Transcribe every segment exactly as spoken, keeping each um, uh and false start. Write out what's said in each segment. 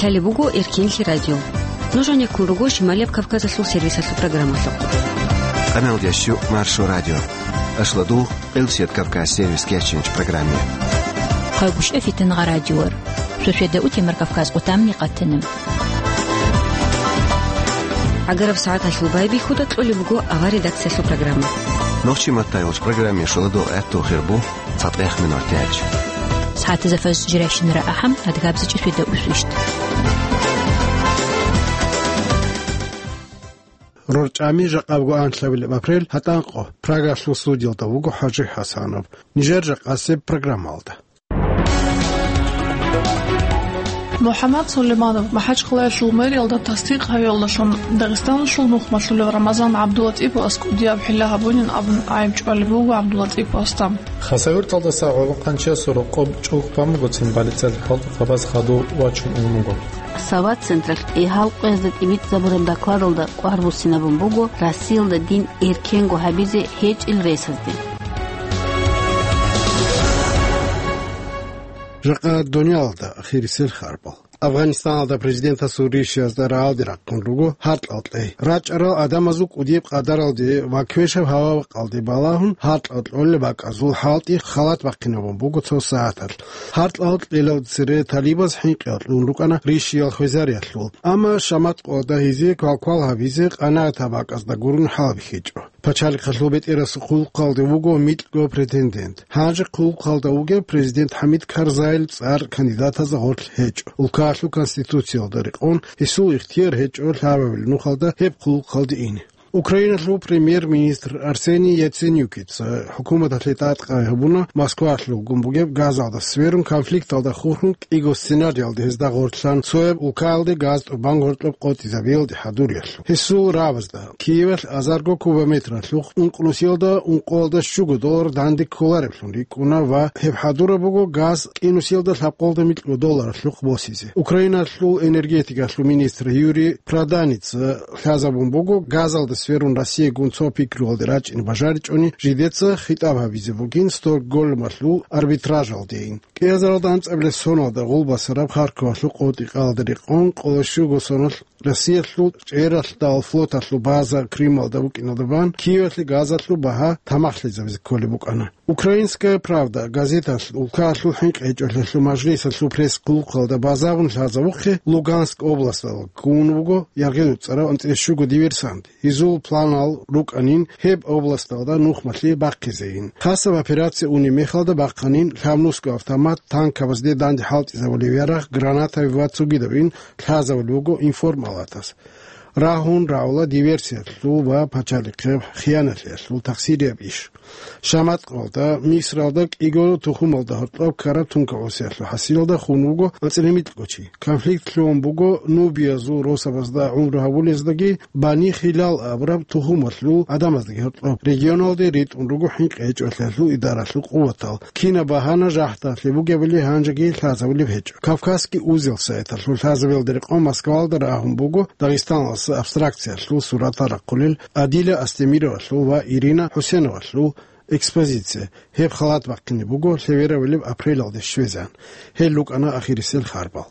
Лъалеб буго Эркенлъи радио. Нуж гьанеккун руго Шималияб Кавказалъул сервисалъул программалъухъ. Къамелдящу Маршо радио. Ашладу Къилсият Кавказ сервис кечинч программе. Хъагушев Фитнагъа радиор. Сосведа утемар Кавказ къутамни къатинаб. Агараб сагӀаталъул байбихьуда кьолеб буго авар редакциялъул программа. Нохчи маттайолч программе шуладо гӀатту хирбу цатӀех минутач. СагӀатазафас жирайщинара ахӀам адгабзичӀи сосведа усвищт. РорчӀами жакъабго анлъабилеб апрель гьатӀанкъо Прагалъул судиялда вуго ХӀажи ХӀасанов. Нижер жакъасеб программалда. МухӀаммад Сулейманов МахӀачхъалаялъул мэриялда тасдикъ гьавиялдалъун Дагъистаналъул нухмалъулев Рамазан ГӀабдулатӀиповас кӀудияб хӀилла гьабунин абун гӀайиб чӀвалеб буго ГӀабдулатӀиповасда. Хасавюрталдаса гӀолохъанчиясул рокъоб чӀухӀ бан бугоцин балицал хӀалтӀухъабаз хадув вачун ун вуго. Сават централъ гьал къоязда тӀибитӀизабураб докладалда кӀвар буссинабун буго Россиялда дин эркенго гьабизе гьечӀел ресазде. Жакъа дуниялалда ахирисел харбал. Афганистаналда президентасул ришиязда рагӀалде рахъун руго гьаркьал кьей. РачӀарал гӀадамазул кӀудияб къадаралде ва квешаб гьава-бакъалде балагьун гьаркьал кьолеб бакӀазул хӀалтӀи халат бахъинабун буго цо сагӀаталъ. Гьаркьал кьелал цере талибаз хӀинкъиялъун рукӀана ришиял хвезариялъул. Амма шаматкъоялда гьезие квалквал гьабизе къанагӀат гьаб бакӀазда гурони хӀалбихьичӀо. Пачалихъалъул бетӀерасул хъулухъалде вуго микьго претендент. Гьанже хъулухъалда вугев президент ХӀамид Карзайил цӀар кандидатазда гъорлъ гьечӀо. Улкаялъул конституциялда рекъон гьесул ихтияр гьечӀо лъабабилеб нухалда гьеб хъулухъалде ине. Украиналъул премьер-министр Арсений Яценюкица хӀукуматалъе тӀадкъай гьабуна Москвалъугун бугеб газалда сверун конфликталда хурхун кӀиго сценариялда гьезда гъорлъан цояб улкаялде газ тӀубан гъоркьоб къотӀизабиялде хӀадуриялъул. Гьесул рабазда Киевалъ азарго кубометралъухъ ункънусиялда ункъоялда щуго доллар данде кколареблъун рикӀкӀуна ва гьеб хӀадураб буго газ кӀинусиялда лъабкъолда микьго долларалъухъ босизе. Украиналъул энергетикалъул министр Юрий Проданица лъазабун буго газалда сверун Россиягун цо пикруялде рачӀине бажаричӀони жидеца хитӀаб гьабизе бугин Стокгольмалъул арбитражалдейин. КӀиазаралда анцӀабилеб соналда гъулбасараб Харьковалъул къотӀи-къалда рекъон къоло щуго соналъ Россиялъул чӀералъдал флоталъул база Крымалда букӀиналда бан Киевалъе газалъул багьа тамахлъизабизе кколеб букӀана. Украинская правда газеталъ улкаялъул хӀинкъи гьечӀолъиялъул мажлисалъул пресс-хъулухъалда базабун лъазабухъе Луганск областалда ккун вуго яргъи-дуцӀарав анцӀила щуго диверсант. Гьезул планал рукӀанин гьеб областалда нухмалъи бахъизейин. Хасаб операция унеб мехалда бахъанин лъабнусго автомат, танкабазде данде хӀалтӀизабулеб ярагъ, гранатаби ва цогидабин лъазабулеб буго информалатас. Рагьун рагӀула диверсиялъул ва пачалихъе хиянатлъиялъул тахсирияб иш. Шаматкъалда, Мисралда кӀиго тухумалда гьоркьоб ккараб тункагӀусиялъул хӀасилалда хун вуго анцӀила микьго чи. Конфликт лъугьун буго нубиязул росабазда гӀумру гьабулездаги Бани Хилал абураб тухумалъул гӀадамаздаги гьоркьоб. Регионалде ритӀун руго хӀинкъи гьечӀолъиялъул идаралъул къуватал. Кинаб багьана жагьталъе бугебали гьанжеги лъазабулеб гьечӀо. Кавказский узел сайталъул лъазабиялда рекъон Москвалда рагьун буго Дагъистаналъ абстракциялъул суратал рахъулел Адиля Астемировалъул ва Ирина ХӀусеновалъул экспозиция. Гьеб халат бахъине буго лъеверавилеб апрелалде щвезан. Гьел рукӀана ахирисел харбал.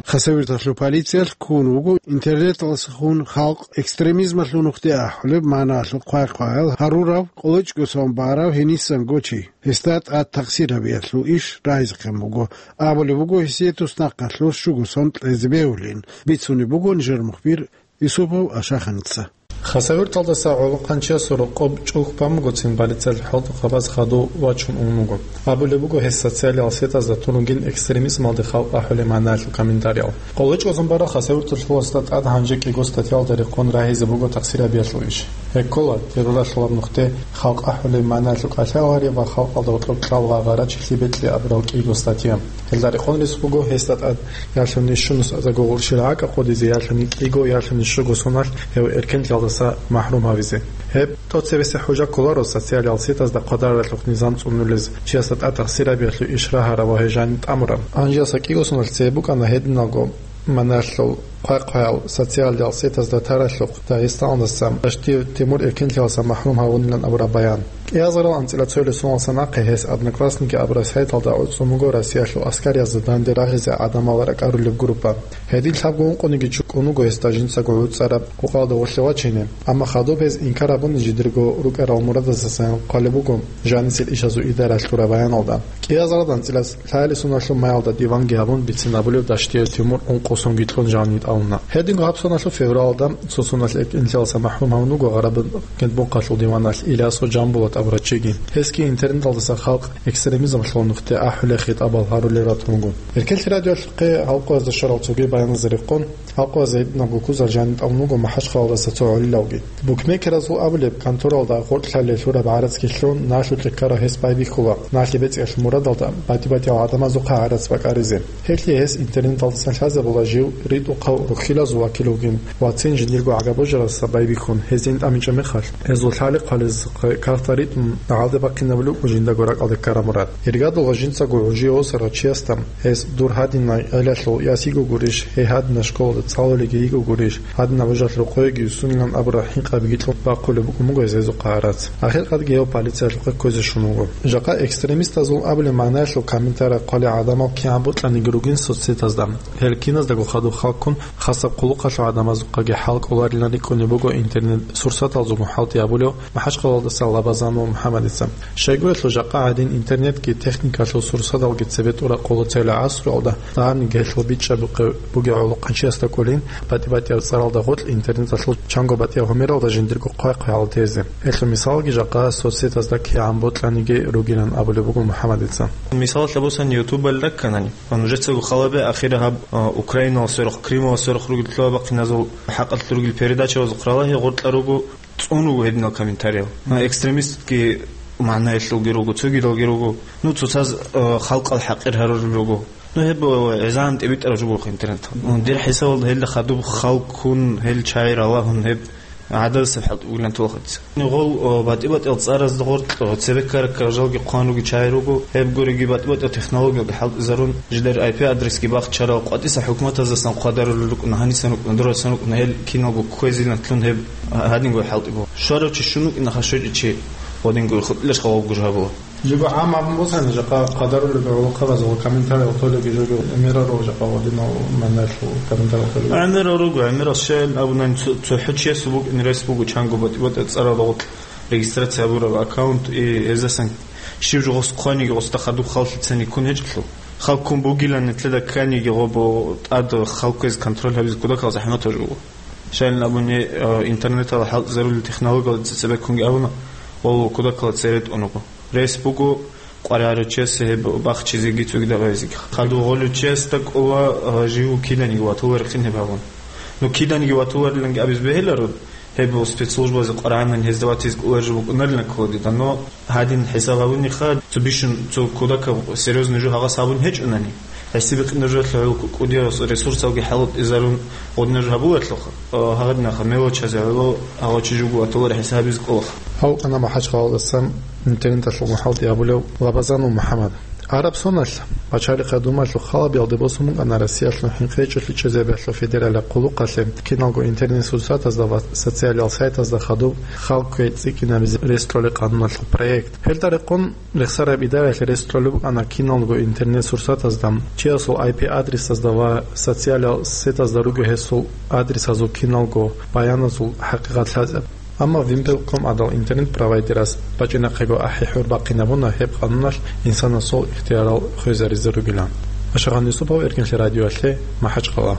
Хасавюрталъул полициялъ ккун вуго интернеталдаса хун халкъ экстремизмалъул нухде ахӀулеб маналъул хъвай-хъваял гьарурав, къоло чӀго сон барав гьенисан гочи. Гьесда тӀад тахсир гьабиялъул иш рагьизехъин буго. Абулеб буго, гьесие туснахъалъур щуго сон кьезе бегьулин, бицунеб буго нижер мухбир Юсупов Ашаханица. Хасавюрталдаса гӀолохъанчиясул рокъоб чӀухӀ бан бугоцин балицал хӀалтӀухъабаз хадув вачун ун вуго. Абулеб буго гьес социалиал сетазда тун ругин экстремизмалде халкъ ахӀулеб маналъул комментариял. Къоло чӀго сон барав Хасавюрталъуласда тӀад гьанже кӀиго статьялда рекъон рагьизе буго тахсир гьабиялъул иш. Гьеккола, терроралъулаб нухде халкъ ахӀулеб маналъул кӀалъалагъари ва халкъалда гьоркьоб кьал ва гъарачилъи бекьи абурал кӀиго статья. Гьелда рекъон рес буго гьесда тӀад ялъуни щунус азарго гъурщил гӀакӀа хъудизе, ялъуни кӀиго, ялъуни щуго соналъ гьев эркенлъиялдаса махӀрум гьавизе. Гьеб тӀоцебесеб хӀужа кколаро социалиал сетазда хъвадаралъухъ низам цӀунулез, чиясда тӀад тахсир гьабиялъул иш рагьараб ва гьеб жаниб тӀамураб. Анжеялса кӀиго соналъ цебе букӀана гьединалго маналъул Хъвай-хъваял социалдал сетазда таралъухъ Дагъистаналдаса Дашти Тимур эркенлъиялдаса махӀрум гьавунилан абураб баян. КӀиазарал анцӀила цоялъул соналдаса нахъе гьес «Одноклассники» абураб сайталда гӀуцӀун буго Россиялъул аскариязда данде рагъизе гӀадамал ракӀарулеб группа. Гьедин лъабго ункъониги чӀукӀун вуго гьесда жинцаго гӀуцӀараб къукъалда гъорлъе вачине, амма хадуб гьез инкар гьабуни жидерго рукӀарал мурадасдасан хъвалеб буго жанисел ишазул идара лъураб баяналда. КӀиазарал анцӀила лъаялъул соналъул маялда диванги гьабун бицин абулев Даштиев Тимур ункъо сонги кьун жанив тӀамуна. Гьединго гьаб соналъул февралда цо соналъ эркенлъиялдаса махӀрум гьавун вуго Гъараб Гьединбухъалъул диваналъ Илясов Жамбулат абурав чиги. Гьесги интернеталдаса халкъ экстремизмалъул нухде ахӀулел хитӀабал гьарулел ратун вуго. Эркенлъи радиоялъухъе гьал къоязда щварал цоги баяназда рекъон, гьал къоязда гьединабго ккузал жанив тӀамун вуго МахӀачхъалаялдаса цо гӀолилавги. Букмекерзул абулеб, конторалда гъоркьлъалел лъураб гӀарацги лъун, налъукье ккарав гьес байбихьула, налъи бецӀиялъул мурадалда батӀи-батӀиял гӀадамазухъа гӀарац бакӀаризе. Гьелъие гьес интернеталдасан лъазабула жив ритӀухъав рухьилазул вакил вугин ва цин жиндирго гӀага-божарасда байбихьун, гьезин тӀамичӀеб мехалъ, гьезул лъали хъвалезухъе кагътал ритӀун, гьалде бахъинабулеб буго жиндаго ракӀалде ккараб мурад. Иргадулха жинцаго гӀужие восарав чиясда гьес дур гьадинай гӀелалъул яс йиго гурищ, гьей гьадинай школалда цӀалулеги йиго гурищ, гьадинаб божалъ рокъойги юссунилан абураб хӀинкъабиги кьун бахъулеб букӀун буго гьезухъа гӀарац. Ахиркъадги гьев полициялъухъе кквезе щун вуго. Жакъа экстремистазул абулеб магӀнаялъул комментарий хъвалел гӀадамал кигӀан бокьаниги ругин соцсетазда. Гьел киназдаго хадуб халккун, хасаб хъулухъалъул гӀадамазухъаги хӀал кӀоларилан рикӀкӀунеб буго интернет-сурсаталзего хӀалтӀи гьабулев МахӀачхъалаялдаса Лабазанов МухӀаммадица. Щайгурелъул жакъа гӀадин интернетги техникалъул сурсаталги цебе тӀура къоло цела гӀасруялда, дагьабниги гьелъул бичӀчӀабухъе бугев гӀолохъанчиясда кӀолин, батӀи-батӀияб цӀаралда гъоркь интернеталъул чанго батӀияб гьумералда жиндирго хъвай-хъвай гьалтезе. Гьелъул мисалги жакъа соцсетазда кигӀан бокьаниги ругилан абулеб буго МухӀаммадица. Мисалалъе босани, ютубалда кканани, ва нужецаго халабе ахира гьаб, а, Украинал сверухъ, Крымал сверухъ ругел лъугьа-бахъиназул хӀакъалъулъ ругел передачаялъухъ ралагье гъоркьа руго, цӀун руго гьединал комментарияб. Ну, экстремистский магӀнаялъулги руго, цогидалги руго. Ну, цоцаз, э, халкъал хӀакъир гьарурал руго. Ну, гьеб, э, гӀезегӀан тӀибитӀараб жо буго интернет. Ну, дир хӀисабалда гьелда хадуб халккун, гьел чагӀи ралагьун, гьеб гӀададасеб хӀалтӀи бугилан толхъадаса. Гъол, э, батӀи-батӀиял цӀаразда гъоркь, э, цебе ккара-ккара жалги хъван руги чагӀи руго, гьеб гуриги батӀи-батӀиял технологиялги хӀалтӀизарун, жидер ай пи адресги бахчарал къватӀиса хӀукуматаздасан хъвадарулел рукӀуна, гьанисан рукӀуна, дурасан рукӀуна, гьел киналго кквезилан лъун гьеб гьадинго хӀалтӀи буго. Щварав чи щунукӀина хашвечӀичи, гъодинго хутӀилаш хаваб гужабула. Жиб гӀам абун босани, жакъа хъадарулеб гӀолохъабазул комментариял толеги жого гӀемерал руго жакъа гъодинал манарлъу комментариял толеги. ГӀемерал руго, гӀемерал щайин абунани цо-, цохӀо чиясул букӀин рес буго чанго батӀи-батӀи цӀарал гъоркь регистрация гьабураб аккаунт, и гьездасан щив жо гъос хъваниги гъосда хадуб халлъицани ккун гьечӀелъул. Халккун бугилан нилъеда кканиги гъобо тӀад халкквез контроль гьабизе кодакал захӀматаб жо буго. Щайин абуни, э, интернеталда хӀалтӀизарулел технологиялда цебеккунги абуна, гъол кодакалда цере тӀун руго. Рес буго къваригӀарав чиясе гьеб бахчизеги цогидаб гьавизеги. Хадуб гъолев чиясда кӀола, а, жив киданиги ватуларехъин гьеб гьабун. Ну, киданиги ватулариланги абизе бегьиларо, гьеб спецслужбазе къваригӀанани гьезда ватизе кӀолареб жо букӀунарилан ккола дида, но гьадин хӀисаб гьабуниха, цо бищун, цо кодакаб серьёзный жо гьагъас гьабун гьечӀунани, гьесие бикъинаб жоялъе гӀоло кӀудияв ресурсалги хӀалатӀизарун гъодинаб жо гьабуларелъулха, а, гьагъадинаха мелочазе гӀоло гьав чи жуго ватуларе хӀисаб гьабизе кӀолаха. Гьав кӀана МахӀачхъалаялдасан интернеталъул хӀалтӀи гьабулев Лабазанов МухӀаммад. Араб соналъ, пачалихъ гьадумалъул халабиялде босун букӀана Россиялъул хӀинкъичӀелъи чӀезабиялъул федералияб хъулухъалъе киналго интернет-сурсатазда ва социалияб сайтазда хадуб халккве цӀикӀкӀинабизе рес кьолеб къануналъул проект. Гьелда рекъон рехсараб идараялъе рес кьолеб букӀана киналго интернет-сурсатазда, чиясул ай пи адресазда ва социалияб сетазда ругел гьесул адресазул киналго баяназул хӀакъикъат лъазаб. Амма Вимпелком гӀадал интернет-провайдерас бачӀинахъего ахӀи-хӀур бахъинабуна гьеб къануналъ инсанасул ихтиярал хвезаризе ругилан. Ашагъан Юсупов, Эркенлъи радиоялъе, МахӀачхъала.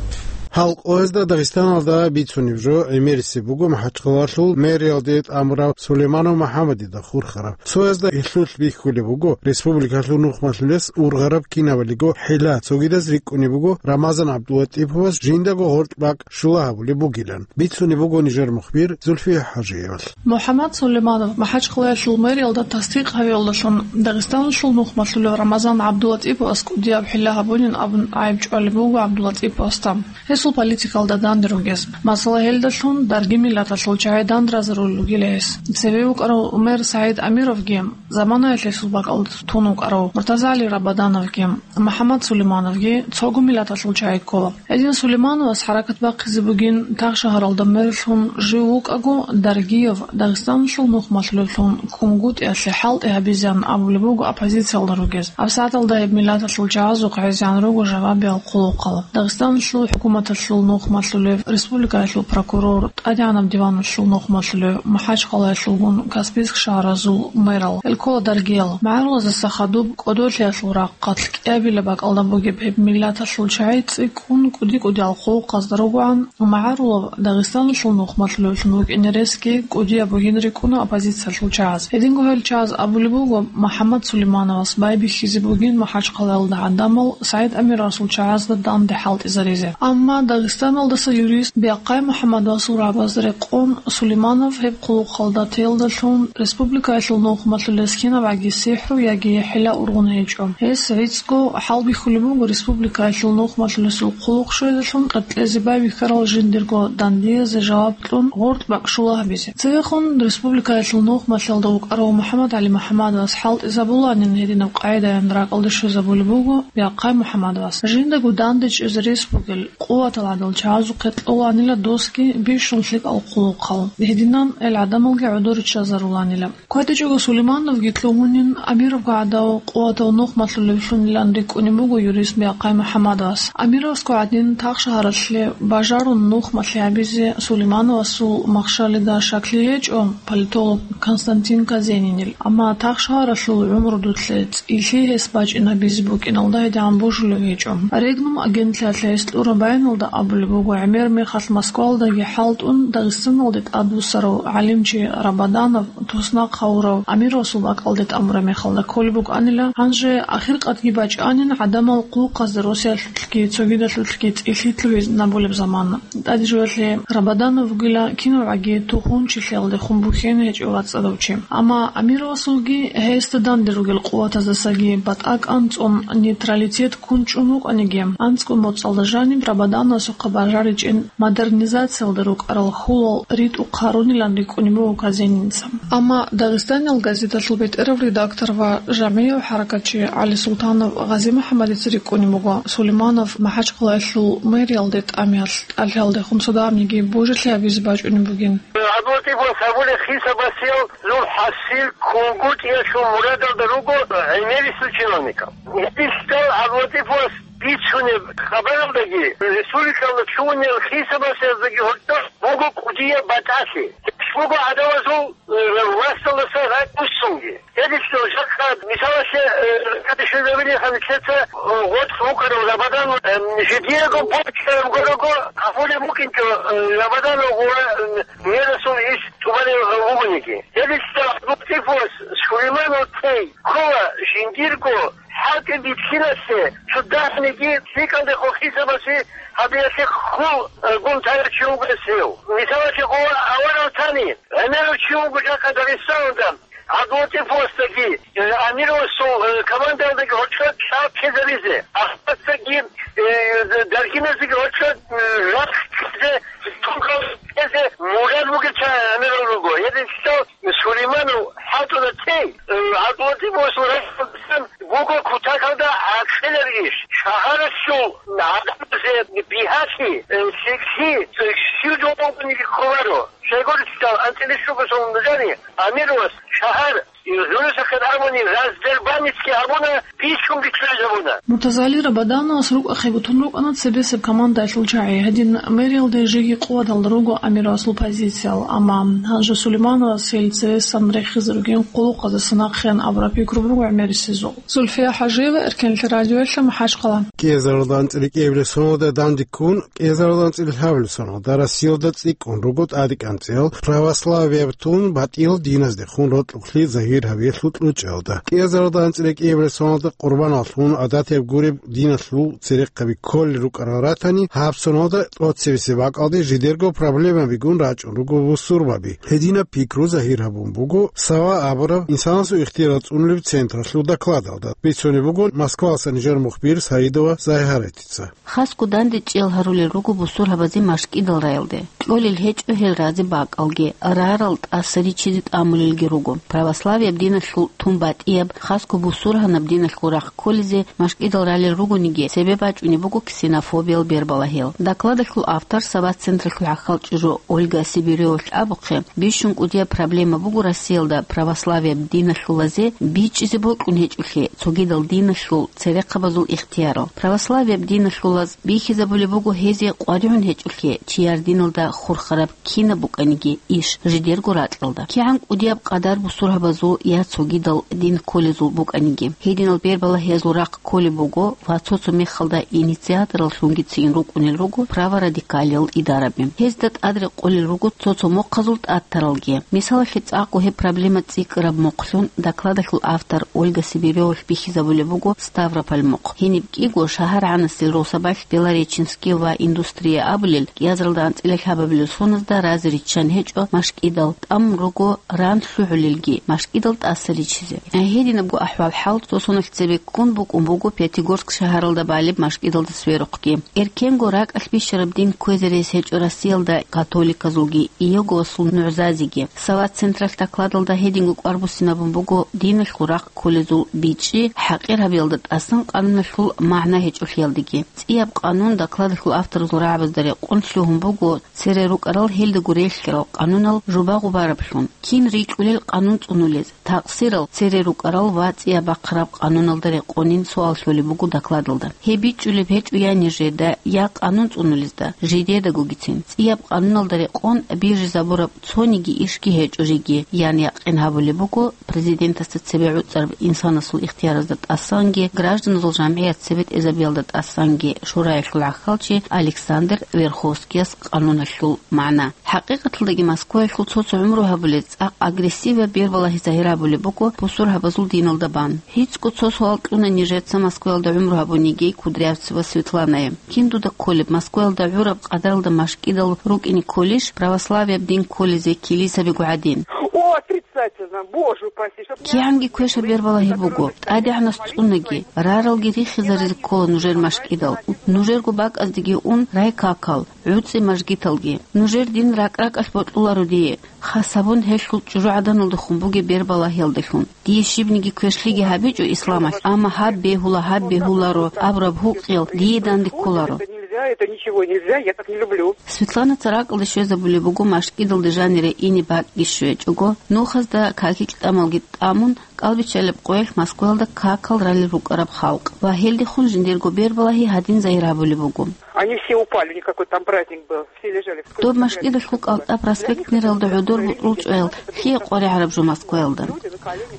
Гьал къоязда Дагъистаналда бицунеб жо гӀемерисеб буго МахӀачхъалалъул мэриялде тӀамурав Сулейманов МухӀаммадида хурхараб. Цоязда гьелъулъ бихьулеб буго республикалъул нухмалъулес ургъараб кинабалиго хӀила, цогидаз рикӀкӀунеб буго Рамазан ГӀабдулатӀиповас жиндаго гъоркь бакӀ щула гьабулеб бугилан. Бицунеб буго нижер мухбир Зульфия ХӀажиевалъ. МухӀаммад Сулейманов МахӀачхъалаялъул мэриялда тасдикъ гьавиялдалъун Дагъистаналъул нухмалъулев Рамазан ГӀабдулатӀиповас кӀудияб хӀила гьабунин абун гӀайиб чӀвалеб буго ГӀабдулатӀиповасда, гьесул политикалда данде ругез. Масала, гьелдалъун дарги миллаталъул чагӀи данде разарулел ругила гьес. Цеве вукӀарав мэр СагӀид Амировги Заманаялъ гьесул бакӀалда тун вукӀарав Муртазали Рабадановги МухӀаммад Сулеймановги цого миллаталъул чагӀи ккола. Гьедин Сулеймановас хӀаракат бахъизе бугин Тахшагьаралда мэрлъун жив вукӀаго, Даргиев Дагъистаналъул нухмалъулевлъун КӀунгутӀиялъе хӀалтӀи гьабизеян абулеб буго оппозициялда ругез. ГьабсагӀаталда гьеб миллаталъул чагӀазухъ гӀезегӀан руго жавабиял хъулухъал. Дагъистаналъул хӀукуматалъул нухмалъулев, республикаялъул прокурор, ТӀадегӀанаб диваналъул нухмалъулев, МахӀачхъалаялъулгун Каспийск шагьаразул мэрал. Гьел ккола Даргиял. МагӀарулазаса хадуб кӀодолъиялъул рахъалъ кӀиабилеб бакӀалда бугеб гьеб миллаталъул чагӀи цӀикӀкӀун кӀуди-кӀудиял хъулухъазда ругоан, МагӀарулав Дагъистаналъул нухмалъулевлъун вукӀине ресги кӀудияб бугин рикӀкӀуна оппозициялъул чагӀаз. Гьединго гьел чагӀаз абулеб буго, МухӀаммад Сулеймановас байбихьизе бугин МахӀачхъалаялда гӀадамал СагӀид Амировасул чагӀазда данде хӀалтӀизаризе. Амма Дагъистаналдаса юрист Биахъай МухӀаммадовасул рагӀабазда рекъон, Сулейманов гьеб хъулухъалда теялдалъун республикаялъул нухмалъулес кинабгӀаги сихӀру яги хӀила ургъун гьечӀо. Гьес гӀицӀго хӀалбихьулеб буго республикаялъул нухмалъулесул хъулухъ щвезелъун къеркьезе байбихьарал жиндирго дандиязе жаваб кьун гъоркь бакӀ щула гьабизе. Цевехун республикаялъул нухмалъалда вукӀарав МухӀаммадгӀали МухӀаммадовас хӀалтӀизабуланин гьединаб къагӀидаялъ ракӀалде щвезабулеб буго Биахъай МухӀаммадовас. Жиндаго данде чӀезе рес бугел къуватал гӀадал чагӀазухъе кьоланила досги бищун лъикӀал хъулухъал. Гьединан гьел гӀадамалги гӀодор риччазаруланила. КватӀичӀого Сулеймановги кьугьунин, Амировго гӀадав къуватав нухмалъулевлъунилан рикӀкӀунеб буго юрист Биахъай МухӀаммадовас. Амировасго гӀадин, Тахшагьаралъе бажарун нухмалъи гьабизе Сулеймановасул махщалида щаклъи гьечӀо политолог Константин Казенинил. Амма Тахшагьаралъул гӀумру дутлъе цӀилъи гьес бачӀинабизе букӀиналда гьедигӀан божулев гьечӀо. Регнум агентлъиялъ гьес кьураб баяналда абулеб буго, гӀемер мехалъ Москвалдаги хӀалтӀун, Дагъистаналде тӀадвуссарав гӀалимчи Рабаданов туснахъ гьавурав Амировасул бакӀалде тӀамураб мехалда кколеб букӀанила, гьанже ахиркъадги бачӀанин гӀадамал хъулухъазда росиялъулъги цогидалъулъги цӀилъи лъугьинабулеб замана. ТӀаде жоялъе Рабаданов вугила кинавгӀаги тухумчилъиялдехун бухьен гьечӀев вацӀцӀадав чи. Амма Амировасулги гьесда данде ругел къуватаздасаги батӀа кӀанцӀун нейтралитет ккун чӀун вукӀаниги, анцӀго моцӀалда жаниб Рабадановасухъа бажаричӀин модернизациялда рукӀарал хьулал ритӀухъ гьарунилан рикӀкӀунеб буго Казенинца. Амма Дагъистаниял газеталъул бетӀерав редактор ва жагьмияв хӀаракатчи ГӀалисултанов ГъазимухӀаммадица рикӀкӀунеб буго Сулейманов МахӀачхъалаялъул мэриялде тӀамиялъ тӀалъиялдехун цо дагьабниги божилъи гьабизе бачӀунеб бугин. ГӀабдулатӀифас гьабулеб хисабасел зул хӀасил кунгутӀиялъул мурадалда руго гӀемерисел чиновникал. Гьединлъидал ГӀабдулатӀифас бицунеб хабаралдаги, республикалда лъугьунел хисабасездаги гьоркьор буго кӀудияб батӀалъи. Гьелъ буго гӀадамазул, э, власталдаса ракӀ буссунги. Гьединлъидал жакъа, мисалалъе, э, кадишезабилиха нилъеца, э, гъоркь вукӀарав Рабадан, э, жидеего бокьараб гурого гьабулеб букӀинчӀо, э, Рабаданов гъура, э, мерасул иш тӀубалев вугониги. Гьединлъидал ГӀабдулатӀифас Сулейманов тей ккола жиндирго хӀалтӀи бихьинасе цо дагьабниги лъикӀалдехун хисабасе гьабиялъе хьул, э, гун тарав чи вугес гьев. Мисалалъе, гъо аварав тани, гӀемерав чи вуго жакъа Дагъистаналда, ГӀабдулатӀифасдаги, э, Амировасул, э, командаялдаги гьоркьор лъаб ккезаризе, Ахмадцаги, э, Даргиназдаги гьоркьор, э, рахъ ккезе, тункъал ккезе мурад бугел чагӀи гӀемерал руго. Гьединлъидал Сулейманов хӀалтӀуна тей, э, ГӀабдулатӀифасул рахъалдасан буго кутакалда гӀакъиларищ, шагьаралъул гӀадамазе бигьалъи, э, лъикӀлъи, э, щив жо бугониги кколаро. Щайгурелъул анцӀила щуго сон нужеца Амировас шагьар, э, гӀурусахъе абуни, раздербанницаги абуна, бищун бицунеб гьабуна. Муртазали Рабадановас рукӀахъе бутун рукӀана цебесеб командаялъул чагӀи. Гьедин мэриялде жеги къуваталда руго Амировасул позициял, амма гьанже Сулеймановас гьел цевесан рехизе ругин къуллукъаздаса нахъеян абураб пикру буго гӀемерисезул. Зульфия ХӀажиева, Эркенлъи радиоялъ, МахӀачхъала. КӀиазаралда анцӀила кӀиабилеб соналда данде ккун, кӀиазаралда анцӀила лъабабилеб соналда Россиялда цӀикӀкӀун руго тӀадекӀанцӀиял православияб тун батӀиял диназдехун рокьукълъи загьир гьабиялъул кьучӀиялда. КӀиазаралда анцӀила кӀиабилеб соналда къурбаналлъун гӀадатияб гуреб диналъул церехъаби кколел рукӀарал ратани, гьаб соналда тӀоцебесеб бакӀалде жидерго проблемабигун рачӀун руго бусурбаби. Гьединаб пикру загьир гьабун буго Сава абураб инсанасул ихтияр цӀунулеб централъул докладалда. Бицунеб буго Москвалъа нижер мухбир Саидова Загьаратица. Хасго дандечӀиял гьарулел руго бусурбабазе машкӀидал раялде. Кьолел гьечӀо гьел разе бакӀалги, рарал тӀаса ричизе тӀамулелги руго. Православ Православияб диналъул тун батӀияб, хасго бусургьанаб диналъул рахъ кколезе машкӀидал ралел ругониги, цебе бачӀунеб буго ксенофобиял бербалагьел. Докладалъул автор, Сават централъул хӀахьал чӀужу Ольга Сибиревалъ абухъе, бищун кӀудияб проблема буго Россиялда православияб диналъулазе бичӀчӀизе бокьун гьечӀолъи цогидал диналъул церехъабазул ихтиярал. Православияб диналъулаз бихьизабулеб буго гьезие къваригӀун гьечӀолъи чияр диналда хурхараб кинаб букӀаниги иш жидерго ракьалда. КигӀан кӀудияб къадар бусургьабазул я цогидал дин кколезул букӀаниги, гьединал бербалагьиязул рахъ кколеб буго ва цо-цо мехалда инициатораллъунги цин рукӀунел руго праворадикалиял идараби. Гьезда тӀад рекъолел руго цо-цо мохъазул тӀатаралги. Мисалалъе, цӀакъго гьеб проблема цӀикӀкӀараб мохълъун докладалъул автор Ольга Сибиревалъ бихьизабулеб буго Ставрополь мохъ. Гьениб кӀиго шагьаргӀанасел росабалъ Белореченский ва Индустрия абулел кӀиазаралда анцӀила лъабабилел соназда разе риччан гьечӀо машкӀидал, тӀамун руго ран лъугӀулелги, машкӀидал тӀаса риччизе. Гьединабго ахӀвал-хӀал цо соналъ цебе ккун букӀун буго Пятигорск шагьаралда балеб машкӀидалда сверухъги. Эркенго ракӀалъ бищараб дин кквезе рес гьечӀо Россиялда католиказулги Иеговасул нугӀзазеги. Сават централъ докладалда гьединго кӀвар буссинабун буго диналъул рахъ кколезул бичӀчӀи хӀакъир гьабиялда тӀасан къануналъул магӀна гьечӀолъиялдаги. ЦӀияб къанун докладалъул авторазул рагӀабазда рекъон лъугьун буго цере рукӀарал гьелдаго релълъарал къанунал жубагъу бараблъун, кин рикьулел къанун цӀунулез, такъсирал цере рукӀарал ва цӀияб бахъараб къануналда рекъонин суал лъолеб буго докладалда. Гьеб бичӀчӀулеб гьечӀо я нижеда, я къанун цӀунулезда, жидедагогицин. ЦӀияб къануналда рекъон бижизабураб цониги ишги гьечӀо жеги, ян якъин гьабулеб буго президентасда цебе гӀуцӀараб инсанасул ихтияразда тӀасанги гражданазул жамгӀият цебетӀезабиялда тӀасанги шураялъул гӀахьалчи Александр Верховскияс къануналъул магӀна. ХӀакъикъаталдаги Москваялъул цо-цо гӀумру гьабулел цӀакъ агрессиваб бербалагьи загьир гьабулеб буго бусургьабазул диналда бан. ГьицӀго цо суал кьуна нижеца Москваялда гӀумру гьабун йигей Кудрявцева Светланае. Кин дуда кколеб, Москваялда гӀураб къадаралда машкӀидал рукӀине кколищ православияб дин кколезе килисабиго гӀадин? О, отрицательно, боже упаси, чтоб не... КигӀанги квешаб бербалагьи буго, тӀадегӀанас цӀунаги, раралги рихизаризе ккола нужер машкӀидал. Нужерго бакӀаздаги ун райкакал, гӀуцӀи мажгиталги. Нужер дин ракӀ-ракӀалъ бокьуларо дие, хас гьабун гьелъул чӀужугӀаданалдехун бугеб бербалагьиялдалъун. Дие щибниги квешлъиги гьабичӀо исламалъ, амма гьаб бегьула, гьаб бегьуларо абураб гьукъиял дие данде кколаро. Это нельзя, это ничего нельзя, я так не люблю. Светланаца ракӀалде щвезабулеб буго машкӀидалда жанире ине бакӀги щвечӀого, нухазда какил-тӀамалги тӀамун, кӀалбиччалеб къоялъ Москваялда какал ралел рукӀараб халкъ ва гьелдехун жиндирго бербалагьи гьадин загьир гьабулеб буго. Они все упали, у них какой-то там праздник был, все лежали в... Доб машкӀидалъул КӀалтӀа проспектниралда гӀодор бутӀрул чӀваял лъие къваригӀараб жо Москваялда?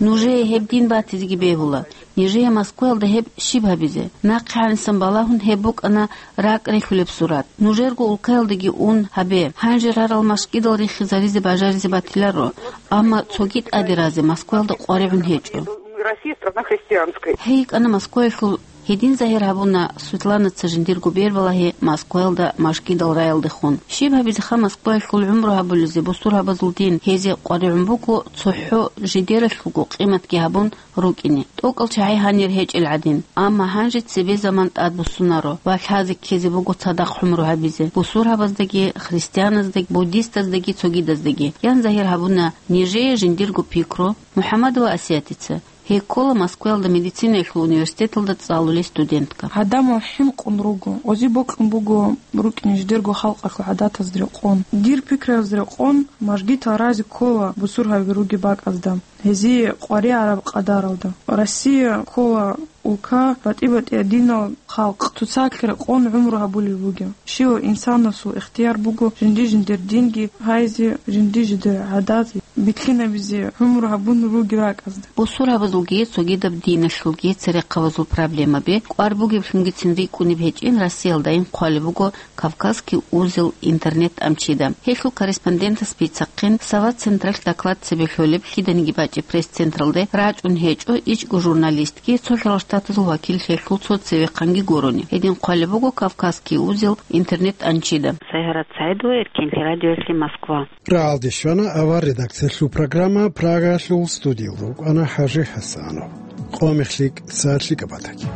Нужее гьеб дин батизеги бегьула. Нижее Москваялда гьеб щиб гьабизе? Нахъе гьанисан балагьун гьеб букӀана ракӀ рихьулеб сурат. Нужерго улкаялдаги ун гьабе, гьанже рарал машкӀидал рихизаризе бажаризе батиларо, амма цоги тӀаде разе Москваялда къваригӀун гьечӀо. Россия страна христианская. Гьей йикӀана Москваялъул. Гьедин загьир гьабуна Светланаца жиндирго бербалагьи Москваялда машкӀидал раялдехун. Щиб гьабизеха Москваялъул гӀумру гьабулезе бусургьабазул дин гьезие къваригӀун буго цохӀо жидералъулго къиматги гьабун рукӀине, тӀокӀал чагӀи гьанир гьечӀел гӀадин. Амма гьанже цебе заман тӀадбуссунаро ва лъазе ккезе буго цадахъ гӀумру гьабизе бусургьабаздаги, христианаздаги, буддистаздаги, цогидаздаги, ян загьир гьабуна нижее жиндирго пикру МухӀаммадова Асиятица. Гьей ккола Москваялда медицинаялъул университеталда цӀалулей студентка. Гьадамал хӀинкъун руго, ози бокьун буго рукӀине жидерго халкъалъул гӀадатазда рекъон. Дир пикраялда рекъон, мажгитал разе ккола бусургьаби ругеб бакӀазда. Гьезие къваригӀараб къадаралда. Россия ккола улка батӀи-батӀияб динал халкъ, цоцалъ рекъон гӀумру гьабулел бугеб. Щивав инсанасул ихтияр буго жинди-жиндир динги гьайзе, жинди-жиндир гӀадат бихьинабизе гӀумру гьабун ругел ракӀазда. Бусургьабазулги цогидаб диналъулги церехъабазул проблемаби кӀвар бугеблъунгицин рикӀкӀунеб гьечӀин Россиялдайин хъвалеб буго «Кавказский узел» интернет-тӀамчида. Гьелъул корреспондентас бицахъин, Сават централъ доклад цебе лъолеб лъиданиги бачӀеб пресс-централде рачӀун гьечӀо ичӀго журналистги, цо хӀалал штатазул вакил гьелъул цо цевехъанги гурони. Гьедин хъвалеб буго «Кавказский узел» интернет-тӀамчида. Сайгьарат СагӀидова, Эркенлъи радиоялъе, Москва. РагӀалде щвана авар редакциялъул программа, Прагаялъул студияв рукӀана ХӀажи ХӀасанов. Къо мехлъи, сагӀатлъи кӀабатаги.